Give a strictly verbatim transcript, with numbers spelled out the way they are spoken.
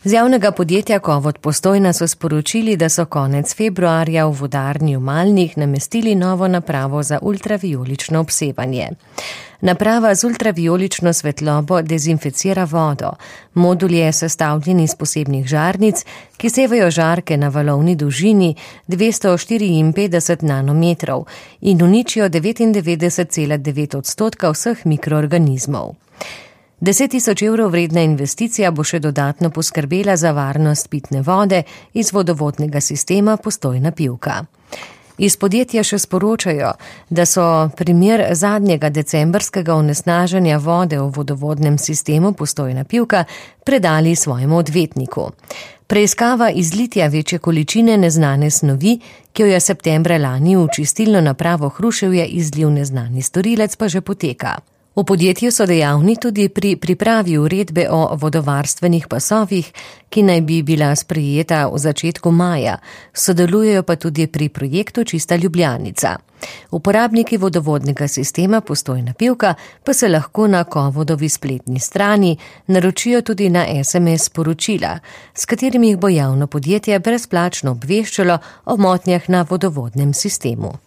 Z javnega podjetja Kovod Postojna so sporočili, da so konec februarja v vodarni v Malnih namestili novo napravo za ultravijolično obsevanje. Naprava z ultravijolično svetlobo dezinficira vodo. Modul je sestavljen iz posebnih žarnic, ki sevajo žarke na valovni dolžini dvesto štiriinpetdeset nanometrov in uničijo devetindevetdeset cela devet odstotka vseh mikroorganizmov. deset tisoč evrov vredna investicija bo še dodatno poskrbela za varnost pitne vode iz vodovodnega sistema Postojna Pivka. Iz podjetja še sporočajo, da so primer zadnjega decembrskega onesnaženja vode v vodovodnem sistemu Postojna Pivka predali svojemu odvetniku. Preiskava izlitja večje količine neznane snovi, ki jo je septembra lani v čistilno napravo Hruševje izlil neznani storilec, pa že poteka. V podjetju so dejavni tudi pri pripravi uredbe o vodovarstvenih pasovih, ki naj bi bila sprejeta v začetku maja, sodelujejo pa tudi pri projektu Čista Ljubljanica. Uporabniki vodovodnega sistema Postojna Pivka pa se lahko na Kovodovi spletni strani naročijo tudi na es em es sporočila, s katerimi jih bo javno podjetje brezplačno obveščalo o motnjah na vodovodnem sistemu.